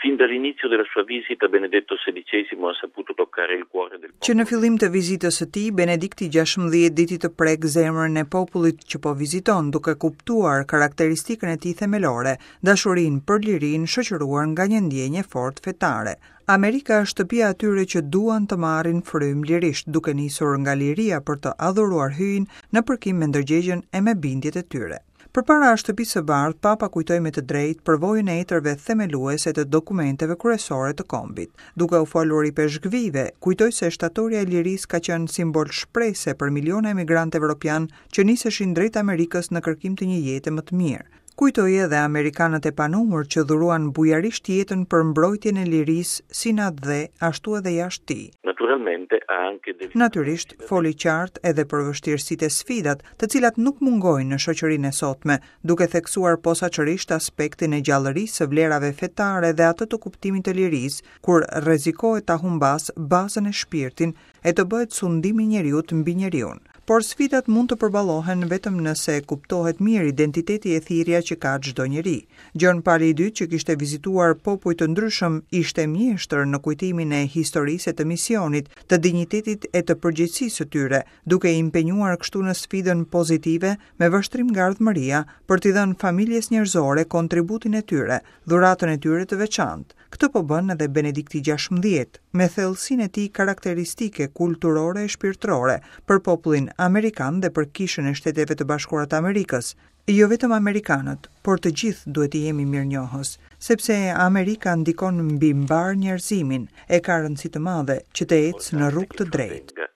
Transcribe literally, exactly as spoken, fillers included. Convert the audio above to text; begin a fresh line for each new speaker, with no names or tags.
Fin dall'inizio della sua visita Benedetto XVI ha saputo toccare il cuore del
Që në fillim të vizitës së tij, Benedikti gjashtëmbëdhjetë diti të prek zemrën e popullit që po viziton, duke kuptuar karakteristikën e tij themelore, dashurinë për lirinë shoqëruar nga një ndjenjë e fortë fetare. Amerika është shtëpia atyre që duan të marrin frymë lirisht, duke nisur nga liria për të adhuruar hyjin në përkim me ndërgjegjen e me bindjet e tyre. Përpara shtëpisë së bardhë, Papa kujtoi me të drejtë përvojën e etërve themeluese të dokumenteve kryesore të kombit. Duke u folur i peshkvive, kujtoi se shtatoria e lirisë ka qenë simbol shprese për miliona emigrantë evropian që niseshin drejt Amerikës në kërkim të një jete më të mirë. Kujtoi edhe amerikanët e panumër që dhuruan bujarisht jetën për mbrojtjen e lirisë si në atdhe, ashtu edhe jashtë tij.
Naturalmente ha anche delle
Natyrisht, foli qartë edhe për vështirësitë e sfidat, të cilat nuk mungojnë në shoqërinë e sotme, duke theksuar posaçërisht aspektin e gjallërisë së vlerave fetare dhe atë të kuptimit të lirisë, kur rrezikohet ta humbas bazën e shpirtin e të bëhet sundimi i njeriut mbi njeriun. Por sfidat mund të përballohen vetëm nëse kuptohet mirë identiteti e thirrja që ka çdo njeri. Gjon Pali i dytë, që kishte vizituar popuj të ndryshëm, ishte mjeshtër në kujtimin e historisë e të misionit, të dinjitetit e të përgjegjësisë së tyre, duke i impenjuar kështu në sfidën pozitive me vështrim nga ardhmëria për t'i dhënë familjes njerëzore kontributin e tyre, dhuratën e tyre të veçantë. Këtë po bën edhe Benedikti gjashtëmbëdhjetë, me thellësinë e tij karakteristike kulturore e shpirtërore për popullin amerikan dhe për Kishën e Shteteve të Bashkuara të Amerikës. Jo vetëm amerikanët, por të gjithë duhet të jemi mirënjohës, sepse Amerika ndikon mbi mbar njerëzimin e ka rëndësi të madhe që të ecë në rrugë të drejtë.